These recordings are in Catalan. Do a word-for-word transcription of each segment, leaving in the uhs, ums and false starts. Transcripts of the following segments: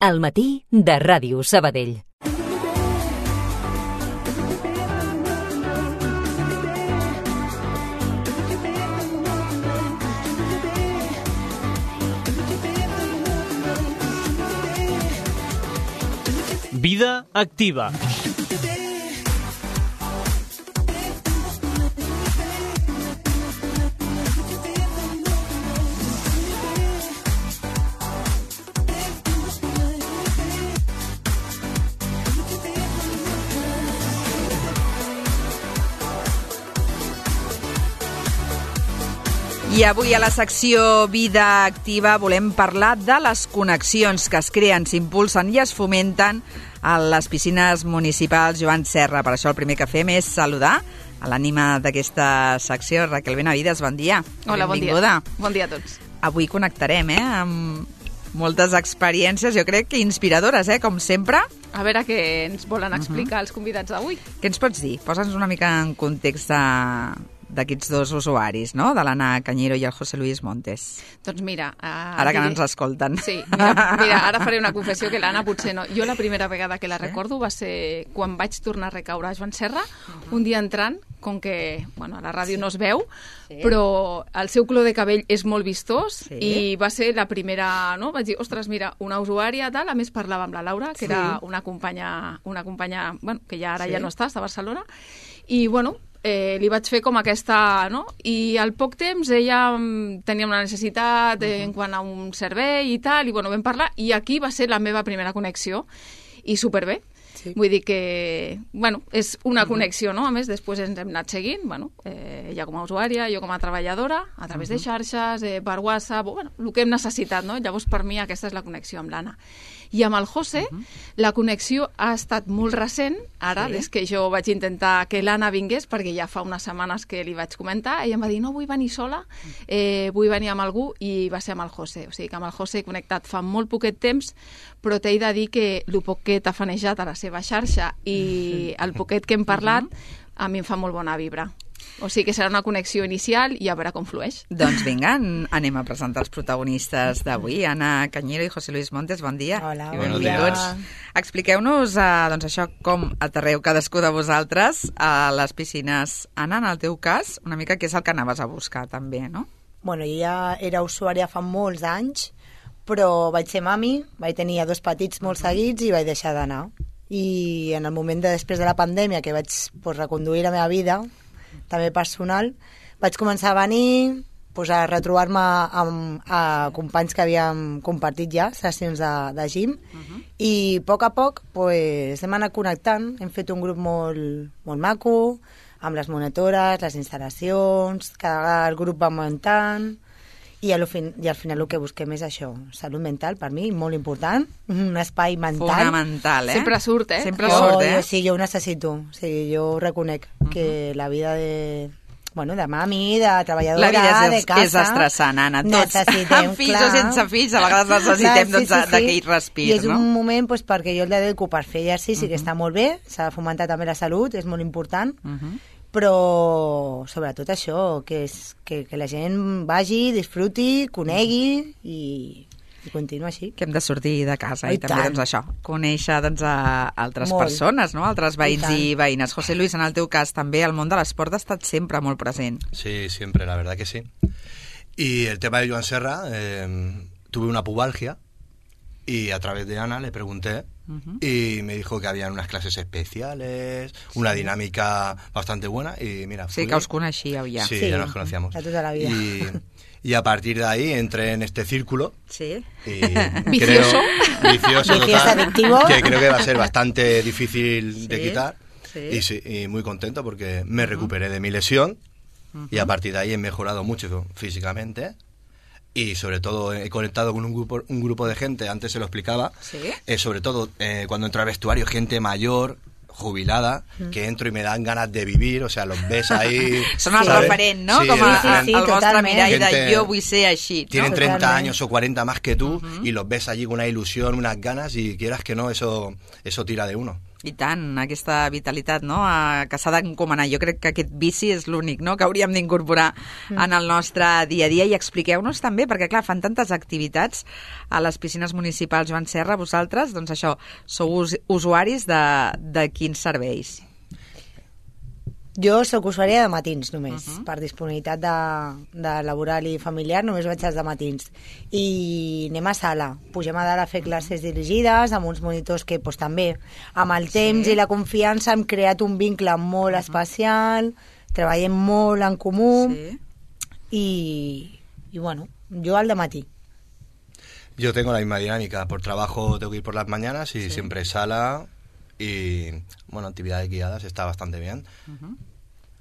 Al matí de Ràdio Sabadell. Vida activa. I avui a la secció Vida Activa volem parlar de les connexions que es creen, s'impulsen i es fomenten a les piscines municipals Joan Serra. Per això el primer que fem és saludar a l'ànima d'aquesta secció, Raquel Benavides, bon dia. Hola, benvinguda. Bon dia. Bon dia a tots. Avui connectarem eh, amb moltes experiències, jo crec que inspiradores, eh, com sempre. A veure què ens volen explicar uh-huh. els convidats d'avui. Què ens pots dir? Posa'ns una mica en context de... d'aquests dos usuaris, no? De l'Anna Cañero i el José Luis Montes. Doncs mira... Uh, ara que diré... no ens escolten. Sí, mira, mira, ara faré una confessió que l'Anna potser no. Jo la primera vegada que la recordo va ser quan vaig tornar a recaure a Joan Serra, uh-huh. un dia entrant, com que bueno, a la ràdio sí. no es veu, sí. però el seu color de cabell és molt vistós sí. i va ser la primera... No? Vaig dir, ostres, mira, una usuària tal, a més parlava amb la Laura, que sí. era una companya, una companya bueno, que ja ara sí. ja no està, està a Barcelona, i bueno... Eh, li vaig fer com aquesta, no? I al poc temps ella tenia una necessitat eh, en quant a un servei i tal, i bueno, vam parlar, i aquí va ser la meva primera connexió, i superbé. Sí. Vull dir que, bueno, és una connexió, no? A més, després ens hem anat seguint, bueno, eh, ella com a usuària, jo com a treballadora, a través uh-huh. de xarxes, eh, per WhatsApp, bueno, el que hem necessitat, no? Llavors, per mi, aquesta és la connexió amb l'Anna. I amb el José, uh-huh. la connexió ha estat molt recent, ara, sí. des que jo vaig intentar que l'Anna vingués, perquè ja fa unes setmanes que li vaig comentar, ella em va dir, no vull venir sola, eh, vull venir amb algú, i va ser amb el José. O sigui que amb el José he connectat fa molt poquet temps, però t'he de dir que el poc que t'ha fanejat a la seva xarxa i el poquet que hem parlat, a mi em fa molt bona vibra. O sigui que serà una connexió inicial i a veure com flueix. Doncs vinga, anem a presentar els protagonistes d'avui. Anna Cañero i José Luis Montes, bon dia. Hola, i bon dia. Expliqueu-nos eh, doncs això, com aterreu cadascú de vosaltres a les piscines. Anna, en el teu cas, una mica què és el que anaves a buscar també, no? Bueno, jo ja era usuària fa molts anys, però vaig ser mami, vaig tenir dos petits molt seguits i vaig deixar d'anar. I en el moment de després de la pandèmia, que vaig pues, reconduir la meva vida, també personal, vaig començar a venir pues, a retrobar-me amb a companys que havíem compartit ja sessions de, de gym uh-huh. i a poc a poc pues, hem anat connectant, hem fet un grup molt, molt maco, amb les monitores, les instal·lacions, cada vegada el grup va augmentant i, al fin, i al final el que busquem és això, salut mental per mi, molt important, un espai mental. Fonamental, eh? Sempre surt, eh? Sempre jo, surt, eh? Jo, sí, jo ho necessito, o sigui, jo reconec uh-huh. que la vida de... Bueno, de mami, de treballadora, la vida és, de casa... és estressant, Anna. Tots, necessitem, amb fills clar. o sense fills, a vegades necessitem clar, sí, doncs, sí, sí. d'aquell respir, I és no? un moment pues, perquè jo el dedico per fer exercici, uh-huh. que està molt bé, s'ha de fomentar també la salut, és molt important, uh-huh. però sobretot això, que, és, que, que la gent vagi, disfruti, conegui i... i continua així. Que hem de sortir de casa i, i també doncs, això, conèixer doncs, a altres molt. persones, no? Altres veïns i, i veïnes. José Luis, en el teu cas també el món de l'esport ha estat sempre molt present. Sí, siempre, la verdad que sí. Y el tema de Joan Serra, eh, tuve una pubalgia y a través de Ana le pregunté uh-huh. y me dijo que habían unas clases especiales, sí. una dinámica bastante buena y mira... Sí, fui... que us coneixíeu ja. Sí, sí, ya nos conocíamos. De toda la vida. Y... Y a partir de ahí entré en este círculo. Sí. Y vicioso. Creo, vicioso total. Adictivo. Que creo que va a ser bastante difícil sí, de quitar. Sí. Y, sí, y muy contento porque me recuperé de mi lesión. Uh-huh. Y a partir de ahí he mejorado mucho físicamente. Y sobre todo he conectado con un grupo, un grupo de gente, antes se lo explicaba. ¿Sí? Eh, sobre todo eh, cuando entro al vestuario, gente mayor, jubilada, mm. que entro y me dan ganas de vivir, o sea, los ves ahí... Són el referent, no? Sí, Com a, sí, sí, sí, el vostre mirall de gente, jo vull ser així. ¿no? Tienen treinta Totalmente. años o cuarenta más que tú uh-huh. y los ves allí con una ilusión, unas ganas y quieras que no, eso, eso tira de uno. I tant, aquesta vitalitat, no?, a, que s'ha d'encomanar. Jo crec que aquest vici és l'únic, no?, que hauríem d'incorporar mm. en el nostre dia a dia. I expliqueu-nos també, perquè clar, fan tantes activitats a les piscines municipals Joan Serra, vosaltres, doncs això, sou us usuaris de, de quins serveis? Jo sóc usuària de matins només, uh -huh. per disponibilitat de, de laboral i familiar només vaig als de matins. I anem a sala, pugem a dalt a fer classes dirigides amb uns monitors que pues, també amb el temps sí. i la confiança hem creat un vincle molt uh -huh. especial, treballem molt en comú sí. i, i bueno, jo al de matí. Yo tengo la misma dinámica, por trabajo tengo que ir por las mañanas y sí. siempre sala y bueno, actividades guiadas está bastante bien. Uh-huh.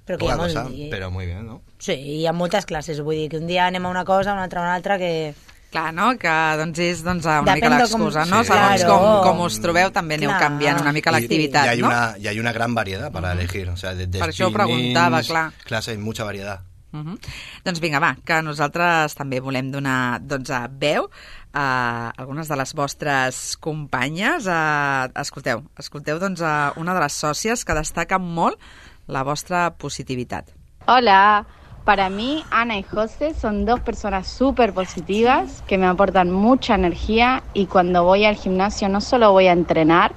Però, que hi ha molt... cosa, però muy bien, no? Sí, hi ha moltes classes, vull dir que un dia anem a una cosa, una altra a una altra, que... Clar, no? Que doncs és doncs, una Depèn mica l'excusa, com... no? Sí. Segons Claro. com, com us trobeu també aneu Clar. canviant una mica l'activitat, y, y hay no? Una, y hay una gran variedad para uh-huh. elegir, o sea, desde per això ho preguntava, clar. Clases, mucha variedad. Uh-huh. Doncs vinga, va, que nosaltres també volem donar doncs, veu a algunes de les vostres companyes. A... Escolteu, escolteu doncs, a una de les sòcies que destaca molt la vostra positivitat. Hola, para mí Ana y José son dos personas súper positivas que me aportan mucha energía y cuando voy al gimnasio no solo voy a entrenar,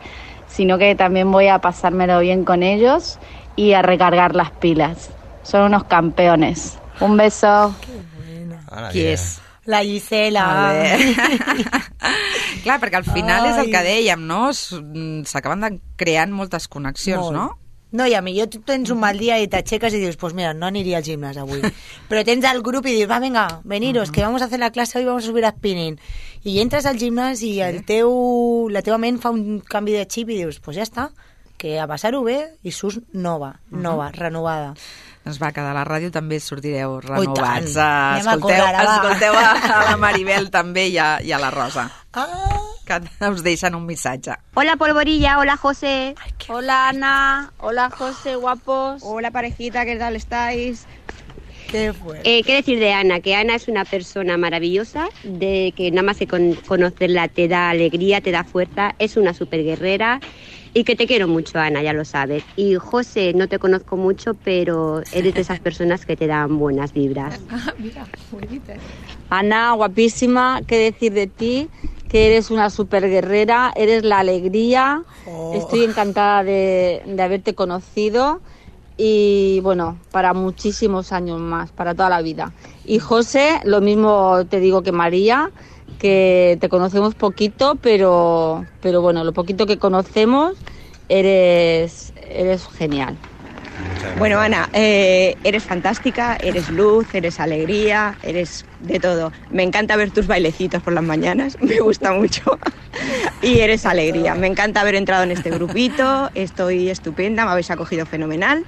sino que también voy a pasármelo bien con ellos y a recargar las pilas. Son unos campeones. Un beso. Qué buena. Qui és? La Gisela. Clar, perquè al final Ai. és el que dèiem, no? S'acaben de creant moltes connexions, Molt. no? No, i a millor tu tens un mal dia i t'aixeques i dius, pues mira, no aniria al gimnàs avui. Però tens el grup i dius, va, venga, veniros, uh-huh. que vamos a hacer la clase hoy, vamos a subir a spinning. I entres al gimnàs i el teu, la teva ment fa un canvi de xip i dius, pues ja està, que a passar-ho bé i surts nova, nova, uh-huh. renovada. Doncs va, que de la ràdio també sortireu Ui, renovats. tant. Uh, escolteu, Anem a córrer, va. escolteu a, a la Maribel també i a, i a la Rosa, Ah. que us deixen un missatge. Hola Polvorilla, hola José. Ay, qué Hola Ana, hola José, guapos. Hola parejita, ¿qué tal estáis? Qué fuerte. Eh, ¿Qué decir de Ana? Que Ana es una persona maravillosa, de que nada más que con conocerla te da alegría, te da fuerza, es una super guerrera y que te quiero mucho, Ana, ya lo sabes. Y José, no te conozco mucho, pero eres de esas personas que te dan buenas vibras. Ah, mira, bonita. Ana, guapísima, ¿qué decir de ti? Que eres una super guerrera, eres la alegría. Oh. Estoy encantada de, de haberte conocido y bueno, para muchísimos años más, para toda la vida. Y José, lo mismo te digo que María, que te conocemos poquito, pero, pero bueno, lo poquito que conocemos, eres, eres genial. Bueno, Ana, eh, eres fantástica, eres luz, eres alegría, eres de todo. Me encanta ver tus bailecitos por las mañanas, me gusta mucho. Y eres alegría. Me encanta haber entrado en este grupito, estoy estupenda, me habéis acogido fenomenal.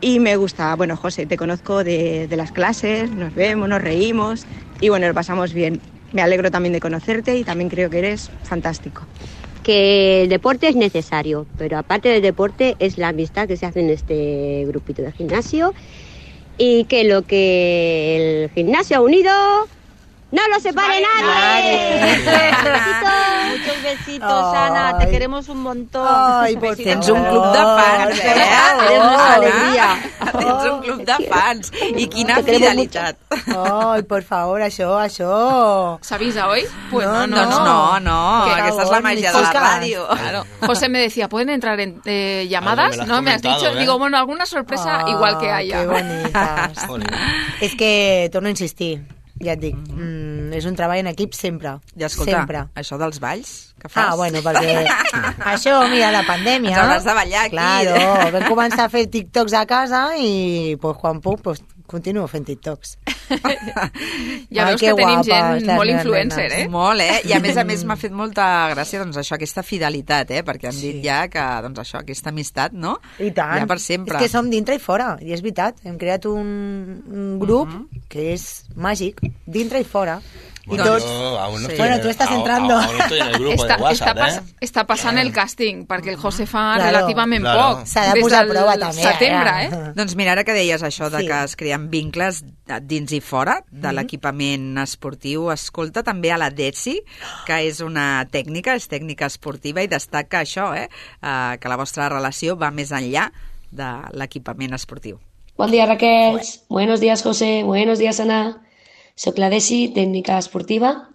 Y me gusta, bueno, José, te conozco de, de las clases, nos vemos, nos reímos y bueno, lo pasamos bien. Me alegro también de conocerte y también creo que eres fantástico. Que el deporte es necesario, pero aparte del deporte es la amistad que se hace en este grupito de gimnasio y que lo que el gimnasio ha unido no lo separe nadie. Muchos besitos, Ana, te queremos un montón. Ay, por Tens un club de fans, eh? Eres nuestra alegria. Tens un club de fans. I quina fidelitat. Ai, por favor, això, això. ¿S'avisa hoy? Pues no, no. Doncs no, no, Por aquesta és la favor, màgia ni de la foscas. ràdio. Claro. José me decía, ¿pueden entrar en eh, llamadas? Algo me lo has ¿No? Me has comentado, dicho. ¿eh? Digo, bueno, alguna sorpresa Ah, igual que haya. Que bonites. Jolín. És que, torno a insistir, ja et dic, mm, és un treball en equip sempre. I escolta, sempre. això dels balls que fas... Ah, bueno, perquè això, mira, la pandèmia... Ens hauràs de ballar aquí. Claro, vam començar a fer TikToks a casa i pues, quan puc pues, continuo fent TikToks. Ja Ai, veus que que tenim guapes, gent les molt meves influencer, nenes. eh? Molt, eh? I a més a més m'ha fet molta gràcia doncs, això, aquesta fidelitat, eh? Perquè han Sí. dit ja que doncs, això, aquesta amistat, no? I tant. Ja per sempre. És que som dintre i fora, i és veritat. Hem creat un, un grup uh -huh. que és màgic, dintre i fora. Bueno, I tots... yo aún no Sí. estoy Bueno, en tú el- estás aún- entrando. Aún no estoy en el grupo Està, de WhatsApp, està, pas, ¿eh? està passant el càsting, perquè el José fa Claro. relativament Claro. poc. S'ha de des posar a del prova, també, setembre, ara. eh? Doncs mira, ara que deies això de Sí. que es creen vincles dins i i fora de l'equipament esportiu. Escolta també a la Desi, que és una tècnica, és tècnica esportiva, i destaca això, eh? Uh, que la vostra relació va més enllà de l'equipament esportiu. Bon dia, Raquel. Buenos días, José. Buenos días, Ana. Soc la Desi, tècnica esportiva,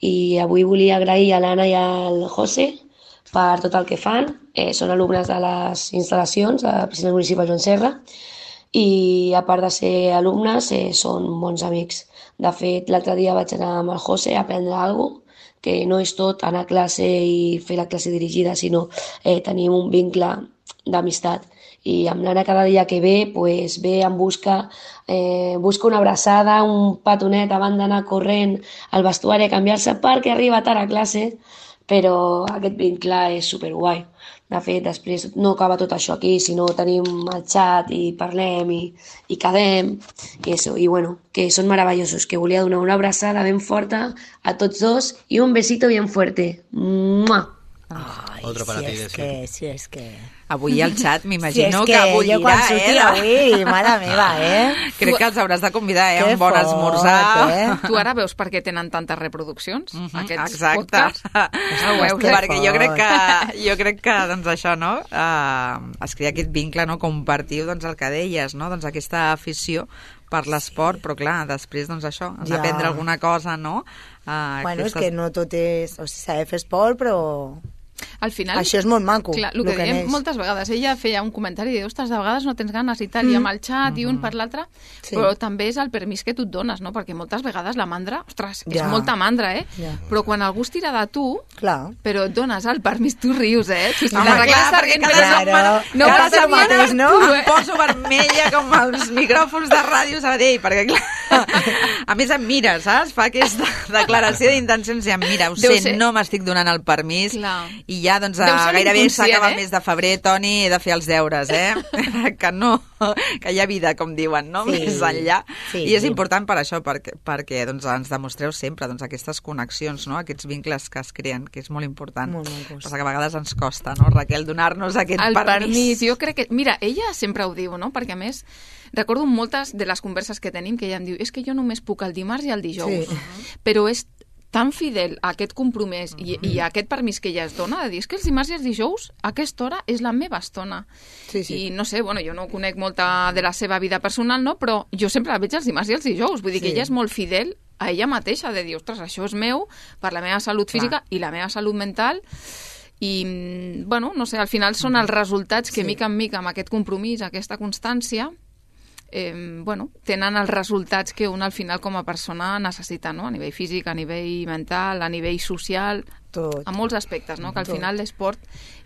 i avui volia agrair a l'Anna i al José per tot el que fan. Eh, són alumnes de les instal·lacions de la piscina municipal Joan Serra i, a part de ser alumnes, eh, són bons amics. De fet, l'altre dia vaig anar amb el José a aprendre alguna cosa, que no és tot anar a classe i fer la classe dirigida, sinó eh, tenir un vincle d'amistat. I amb l'Anna cada dia que ve, pues, ve en busca, eh, busca una abraçada, un petonet abans d'anar corrent al vestuari a canviar-se perquè arriba tard a classe, però aquest vincle és superguai. De fet, després no acaba tot això aquí, sinó tenim el xat i parlem i, i quedem, i, eso, i bueno, que són meravellosos, que volia donar una abraçada ben forta a tots dos i un besito bien fuerte. Mua! Ai, Otro para si ti, és Desi. que, si és que... Avui el xat m'imagino si que, que bullirà, jo quan surti eh? avui, mare meva, eh? Crec que els hauràs de convidar, eh? Que Un bon fort, esmorzar. eh? Tu ara veus per què tenen tantes reproduccions, Mhm, aquests exacte. podcasts? Ho veus, que perquè jo fort. crec que, jo crec que doncs això, no? Uh, es crea aquest vincle, no? Compartiu, doncs, el que deies, no? Doncs aquesta afició per l'esport, però clar, després, doncs això, has Ja. d'aprendre alguna cosa, no? Uh, Bueno, és que no tot és... O sigui, s'ha de fer esport, però... Al final... Això és molt maco, Clar, el lo que que dèiem neix. moltes vegades, ella feia un comentari i diu, ostres, de vegades no tens ganes i tal, mm. i amb el xat i un per l'altre, Sí. però també és el permís que tu et dones, no? Perquè moltes vegades la mandra, ostres, és Ja. molta mandra, eh? Ja. Però quan algú es tira de tu, Clar. però et dones el permís, tu rius, eh? Si Home, la clar, Raquel perquè Sargent, cada però setmana- no cada passa setmana mateix, no? tu, eh? Em poso vermella com els micròfons de Ràdio Sabadell, perquè clar, a més em mira, saps? Fa aquesta declaració d'intencions i em mira, ho Deu sé, ser- no m'estic donant el permís, Clar. i ja, doncs, Deu ser gairebé l'inconscient, s'acaba el eh? mes de febrer, Toni, he de fer els deures, eh? que no, que hi ha vida, com diuen, no? Sí. Més enllà. Sí, I és sí. important per això, perquè, perquè doncs, ens demostreu sempre doncs, aquestes connexions, no? Aquests vincles que es creen, que és molt important. Molt macos. Passa que a vegades ens costa, no, Raquel, donar-nos aquest el permís. permís, jo crec que... Mira, ella sempre ho diu, no? Perquè, a més, recordo moltes de les converses que tenim que ella em diu, és que jo només puc el dimarts i el dijous. Sí. Però és tan fidel a aquest compromís i, i a aquest permís que ella es dona de dir, és que els dimarts i els dijous a aquesta hora és la meva estona. Sí, sí. I no sé, bueno, jo no conec molta de la seva vida personal, no? Però jo sempre la veig els dimarts i els dijous. Vull dir Sí. que ella és molt fidel a ella mateixa, de dir, ostres, això és meu per la meva salut física i la meva salut mental. I, mm, bueno, no sé, al final són els resultats que, Sí. mica en mica, amb aquest compromís, aquesta constància, eh, bueno, tenen els resultats que un al final com a persona necessita, no? A nivell físic, a nivell mental, a nivell social, Tot. a molts aspectes, no? Que al Tot. final l'esport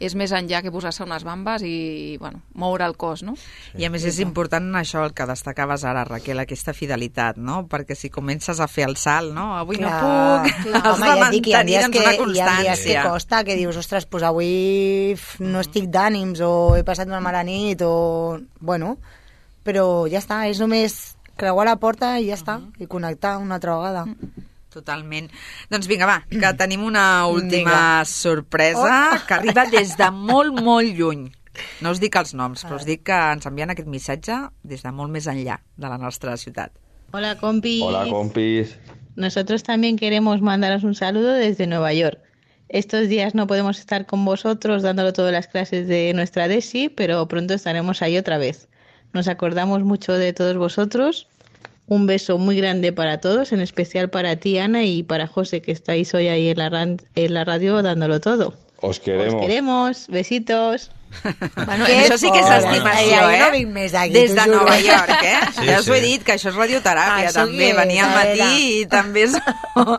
és més enllà que posar-se unes bambes i, bueno, moure el cos, no? I a més és important això, el que destacaves ara, Raquel, aquesta fidelitat, no? Perquè si comences a fer el salt, no? Avui Clar, no puc, clar, has home, de ja et dic, hi ha mantenir dies doncs, que, una hi ha dies que constància. costa, que dius, ostres, pues avui f, no estic d'ànims o he passat una mala nit o... Bueno, però ja està, és només creuar la porta i ja està, i connectar una altra vegada. Totalment. Doncs vinga, va, que tenim una última Vinga. sorpresa Oh. que arriba des de molt, molt lluny. No us dic els noms, però us dic que ens envien aquest missatge des de molt més enllà de la nostra ciutat. Hola compis. Hola compis. Nosotros también queremos mandaros un saludo desde Nueva York. Estos días no podemos estar con vosotros dándolo todas las clases de nuestra DESI, pero pronto estaremos ahí otra vez. Nos acordamos mucho de todos vosotros. Un beso muy grande para todos, en especial para ti, Ana, y para José, que estáis hoy ahí en la, ran- en la radio dándolo todo. Os queremos. Os queremos. Besitos. Bueno, Que això sí que és fort. estimació, Ai, eh? no vinc més aquí, Des t'ho de juro. Nova York, eh? Sí, ja us ho he sí. dit, que això és radioteràpia, Això també. què és, Venir al a matí veure. i també són,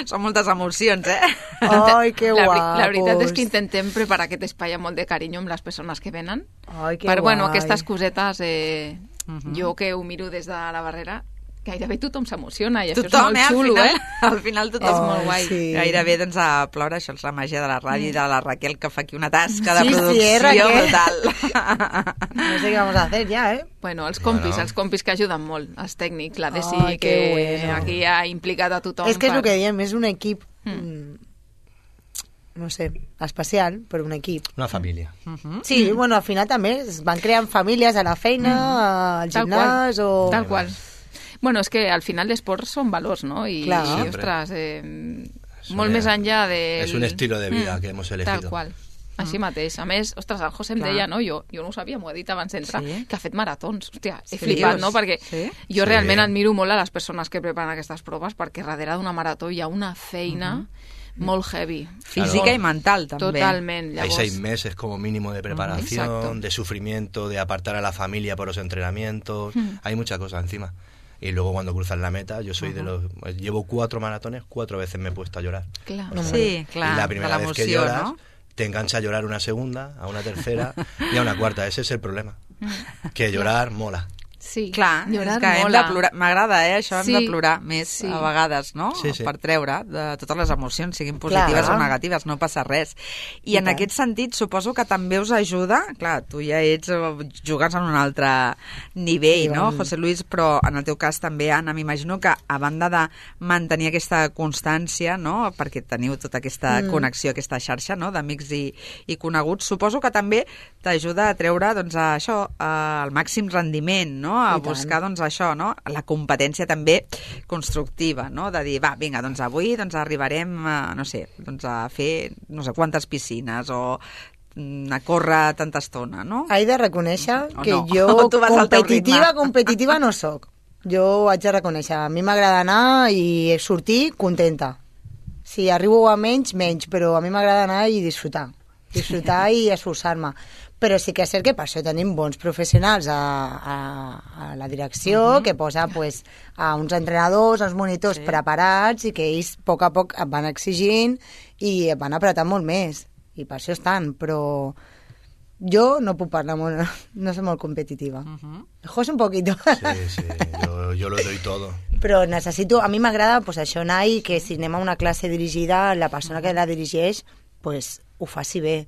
són moltes emocions, eh? Ai, que la, guapos. veri- la veritat és que intentem preparar aquest espai amb molt de carinyo amb les persones que venen. Ai, que per, bueno, guai. aquestes cosetes, eh, jo que ho miro des de la barrera, gairebé tothom s'emociona i això Tothom, és eh? molt Al xulo, final, eh? al final tothom És és molt molt guai. sí. Gairebé doncs, a ploure, això és la màgia de la ràdio i de la Raquel, que fa aquí una tasca de Sí, sí, producció eh, Raquel? brutal. No sé què vamos a hacer ja, eh? Bueno, els compis, Bueno. els compis que ajuden molt, els tècnics, la Desi, Ai, que que bueno. aquí ha implicat a tothom. És que és per- el que diem, és un equip, mm. no sé, especial, però un equip. Una família. Sí, bueno, al final també es van creant famílies a la feina, al Tal gimnàs qual, o... tal qual. Bueno, és que al final l'esport són valors, no? I, Clar. i ostres, eh, molt més enllà del... És un estilo de vida Mm, que hemos elegido. Tal qual. Així mateix. A més, ostres, el José em Clar. deia, no? Jo, jo no ho sabia, m'ho ha dit abans d'entrar, Sí? que ha fet maratons. Hòstia, he Sí, flipat, dius? no? Perquè Sí? jo Sí. realment admiro molt a les persones que preparen aquestes proves, perquè darrere d'una marató hi ha una feina molt heavy. Física Molt- i mental, també. Totalment. Hay Llavors, seis meses como mínimo de preparación, Exacto. de sufrimiento, de apartar a la familia por los entrenamientos. Mm. Hay mucha cosa encima. Y luego cuando cruzas la meta, yo soy de los... Llevo cuatro maratones, cuatro veces me he puesto a llorar. clar. Sí, clar, y la de primera vez que l'emoció, lloras, no? te engancha a llorar una segunda, a una tercera y a una cuarta. Ese es el problema. Que llorar mola. Sí, Clar, llorar és que hem mola. de plorar. M'agrada, eh, això, hem Sí, de plorar més sí. a vegades, no? Sí, sí. Per treure de totes les emocions, siguin positives Clar. o negatives, no passa res. I, I en tant. aquest sentit, suposo que també us ajuda, clar, tu ja ets, eh, jugues en un altre nivell, Sí, no, vam- José Luis, però en el teu cas també, Anna, m'imagino que a banda de mantenir aquesta constància, no?, perquè teniu tota aquesta Mm. connexió, aquesta xarxa, no?, d'amics i, i coneguts, suposo que també t'ajuda a treure, doncs, a això, a, al màxim rendiment, no?, a I tant. buscar, doncs, això, no?, la competència també constructiva, no?, de dir, va, vinga, doncs avui doncs arribarem, a, no sé, doncs a fer no sé quantes piscines o mm, a córrer tanta estona, no? He de reconèixer O que no. jo Tu vas al teu competitiva, ritme. competitiva no sóc. Jo ho haig de reconèixer. A mi m'agrada anar i sortir contenta. Si arribo a menys, menys, però a mi m'agrada anar i disfrutar. Disfrutar i esforçar-me. Però sí que és cert que per això tenim bons professionals a, a, a la direcció, uh -huh. que posa pues, a uns entrenadors, a uns monitors Sí. preparats i que ells a poc a poc et van exigint i et van apretant molt més. I per això estan, però jo no puc parlar molt, no soc molt competitiva. Uh -huh. José un poquito. Sí, sí, yo, yo lo doy todo. Però necessito, a mi m'agrada pues, això anar i que si anem a una classe dirigida, la persona que la dirigeix pues, ho faci bé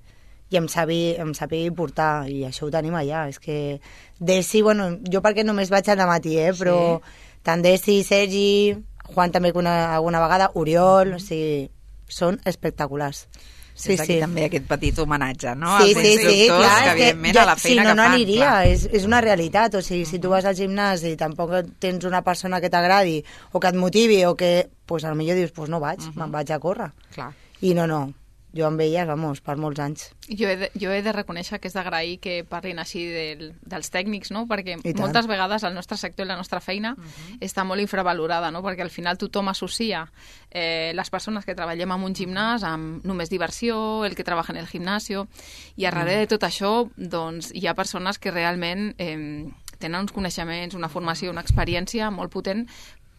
i em sabi, em sabi portar, i això ho tenim allà. És que Desi, bueno, jo perquè només vaig al matí, eh, però sí. tant Desi, Sergi, Juan també una, alguna vegada, Oriol, o sigui, són espectaculars. Sí, Des d'aquí sí. també aquest petit homenatge, no? Sí, als sí, sí, instructors, clar, que és que evidentment jo, a la feina si no, que no fan. aniria, clar. és, és una realitat, o sigui, si tu vas al gimnàs i tampoc tens una persona que t'agradi o que et motivi o que, pues, a lo millor dius, pues no vaig, uh -huh. me'n vaig a córrer. Clar. I no, no, jo amb elles, vamos, per molts anys. Jo he, de, jo he de reconèixer que és d'agrair que parlin així del, dels tècnics, no? Perquè I tant. moltes vegades el nostre sector i la nostra feina uh -huh. està molt infravalorada, no? Perquè al final tothom associa eh, les persones que treballem en un gimnàs amb només diversió, el que treballa en el gimnasio, i a darrere de tot això doncs, hi ha persones que realment eh, tenen uns coneixements, una formació, una experiència molt potent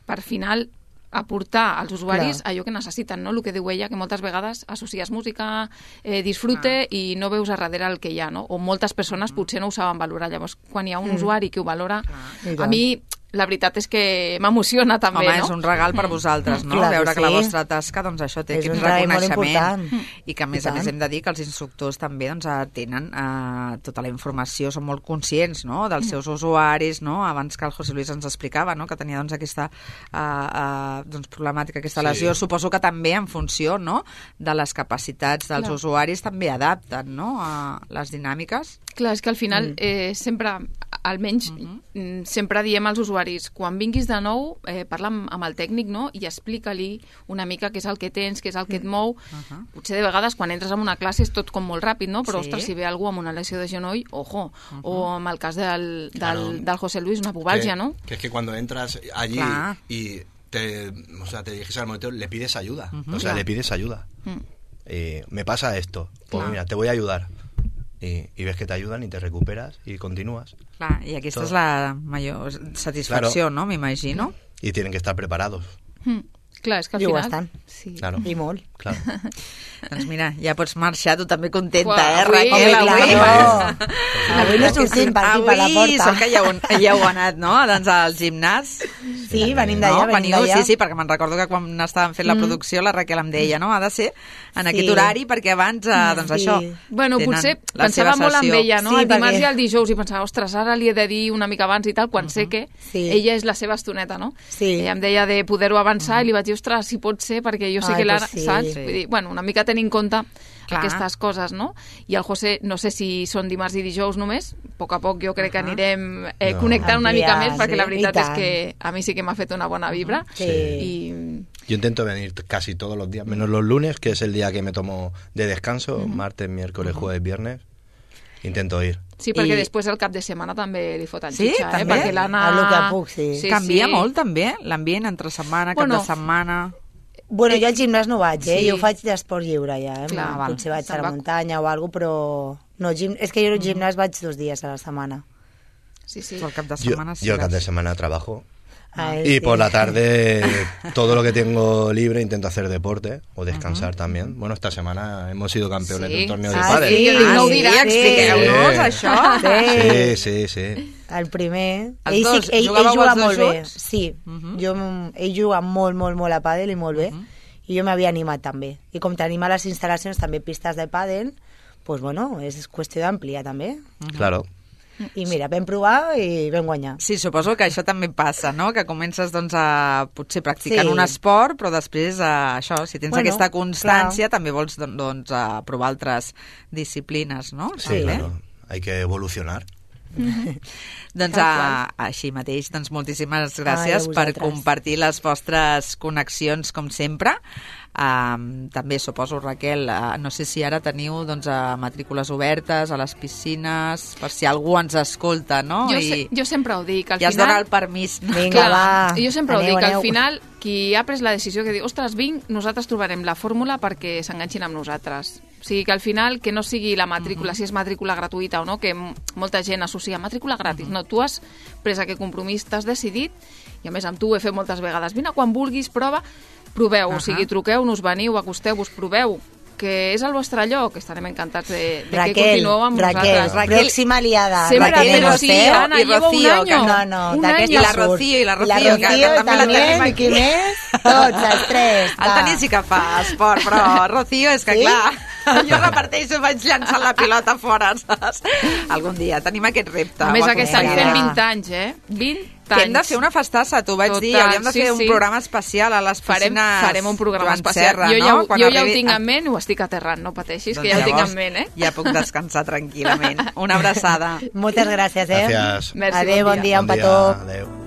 per final aportar als usuaris Clar. allò que necessiten, no? El que diu ella, que moltes vegades associes música, eh, disfrute, i no veus a darrere el que hi ha, no? O moltes persones potser no ho saben valorar. Llavors, quan hi ha un Mm. usuari que ho valora, I a tant. mi la veritat és que m'emociona també, Home, no? és un regal per vosaltres, no? Clar que Veure que la sí. vostra tasca, doncs això té És aquest un regal molt reconeixement important. i que a més I a més tant. hem de dir que els instructors també doncs, eh, tenen eh, tota la informació, són molt conscients, no?, dels seus usuaris, no? Abans que el José Luis ens explicava, no?, que tenia doncs aquesta eh, eh, doncs, problemàtica, aquesta Sí. lesió. Suposo que també en funció, no?, de les capacitats dels Clar. usuaris també adapten, no?, a les dinàmiques. Clar, és que al final Mm. eh, sempre, almenys, mm, sempre diem als usuaris, quan vinguis de nou, eh, parla amb, amb el tècnic, no?, i explica-li una mica què és el que tens, què és el que et mou. Uh-huh. Potser de vegades quan entres en una classe és tot com molt ràpid, no? Però, Sí. ostres, si ve algú amb una lesió de genoll, ojo. O amb el cas del, del, Claro. del José Luis, una pubalgia, que, ¿no? Que es que cuando entras allí Claro. y te, o sea, te diriges al monitor, le pides ayuda. Ujú. O sea, Claro. le pides ayuda. Mm. Eh, me pasa esto. Pues Claro. mira, te voy a ayudar. Y, y ves que te ayudan y te recuperas y continúas. Clar, i aquesta Tot. és la major satisfacció, Claro. no?, m'imagino. Y tienen que estar preparados. Mm. Clar, és que al I ho final... estan. Sí. Claro. I molt. Claro. Doncs mira, ja pots marxar, tu també contenta, Uah, eh, avui- Raquel? Home, Avui, claro. Pues Avui no sortim per aquí, per la avui porta. sort que ja heu, ja heu anat, no?, doncs al gimnàs. Sí, venim d'allà, No, venim veniu, d'allà. sí, sí, perquè me'n recordo que quan estàvem fent la Mm. producció la Raquel em deia, no?, ha de ser en Sí. aquest horari perquè abans, eh, doncs Sí. això, Bueno, tenen potser la pensava seva molt en sessió. ella, no? Sí, el dimarts perquè- i el dijous, i pensava, ostres, ara li he de dir una mica abans i tal, quan sé que Sí. ella és la seva estoneta, no? Sí. Ella em deia de poder-ho avançar i li vaig dir, ostres, si pot ser, perquè jo sé Ai, que l'ara, pues sí. saps? Sí. Vull dir, bueno, una mica tenir en compte Clar. aquestes coses, no? I el José, no sé si són dimarts i dijous només, a poc a poc jo crec que anirem eh, No. connectant una mica Ampliar, més, perquè la sí, veritat i és tant. que a mi sí que m'ha fet una bona vibra. Sí. I Yo intento venir casi todos los días, menos los lunes, que es el día que me tomo de descanso, martes, miércoles, jueves, viernes. Intento ir. sí, perquè I- després el cap de setmana també li foten Sí, xitxa, eh? també? Perquè l'Anna... A lo que puc, sí. Canvia sí. molt, també, l'ambient entre setmana, cap Bueno, de setmana... Bueno, jo al gimnàs no vaig, eh? Sí. Jo ho faig d'esport lliure, ja. Eh? Clar, val. Potser vaig Se'n a la va- muntanya o alguna cosa, però... No, gim... És que jo al gimnàs vaig dos dies a la setmana. Sí, sí. Tu al cap de Yo, setmana sí yo el cap vas. de semana trabajo. Ah, Y sí. por la tarde, todo lo que tengo libre, intento hacer deporte o descansar también. Bueno, esta semana hemos sido campeones Sí. de un torneo de Ah, pádel. sí, jo dic, no ho sí, diràs, sí. Expliqueu-nos, Sí. això. Sí. Sí, sí, sí. El primer... Els ell, dos, sí, ell, ell jugàveu juga els dos molt bé. junts? Sí, Mhm. jo, ell juga molt, molt, molt a pàdel i molt bé. I jo m'havia animat també. I com tenim a les instal·lacions també pistes de pàdel, pues bueno, és qüestió d'ampliar també. Claro. I mira, vam provar i vam guanyar. Sí, suposo que això també passa, no? Que comences doncs, a potser practicant Sí. un esport, però després, a, això, si tens Bueno, aquesta constància, també vols don- doncs, a provar altres disciplines, no? Sí, També. claro. Hay que evolucionar. Doncs a, així mateix, doncs moltíssimes Ai, gràcies a per vosaltres. compartir les vostres connexions, com sempre. Um, també suposo, Raquel, uh, no sé si ara teniu doncs, uh, matrícules obertes a les piscines, per si algú ens escolta, no? Jo, I, se, jo sempre ho dic, al I es final... dona el permís. Vinga, Clar, va. jo sempre Aneu, ho dic, aneu. al final qui ha pres la decisió que diu, ostres, vinc, nosaltres trobarem la fórmula perquè s'enganxin amb nosaltres. O sigui, que al final que no sigui la matrícula, uh -huh. si és matrícula gratuïta o no, que m- molta gent associa matrícula gratis. Uh -huh. No, tu has pres aquest compromís, t'has decidit, i a més amb tu ho he fet moltes vegades. Vine quan vulguis, prova, proveu, uh -huh. o sigui, truqueu-nos, veniu, acosteu-vos, proveu, que és el vostre lloc, estarem encantats de, de que Raquel, continueu amb Raquel, nosaltres. Raquel, pròxima aliada. Sempre, Raquel, però no sí, sé. Ana, i llevo un Rocío, año. que No, no, un d'aquesta I la surt. Rocío, i la Rocío, la que Rocío també la tenim també, aquí. i qui més? Tots, els tres. El va. Toni sí que fa esport, però Rocío, és que Sí? clar, jo reparteixo, vaig llançant la pilota fora, saps? Algun dia tenim aquest repte. A més, ho aquest any aconseguirem. fem vint anys, eh? vint anys. Que hem de fer una festassa, t'ho vaig Total, dir, hauríem de sí, fer un sí. programa especial a les Farem, piscines farem un programa Joan especial. Serra, jo ja, no? ho- Quan jo ja ho arribi- tinc en ment, ho estic aterrant, no pateixis, Doncs que ja ho tinc llavors en ment, eh? Ja puc descansar tranquil·lament. Una abraçada. Moltes gràcies, eh? Gracias. Merci, Adéu, bon bon dia. dia, un Bon dia, petó. adéu.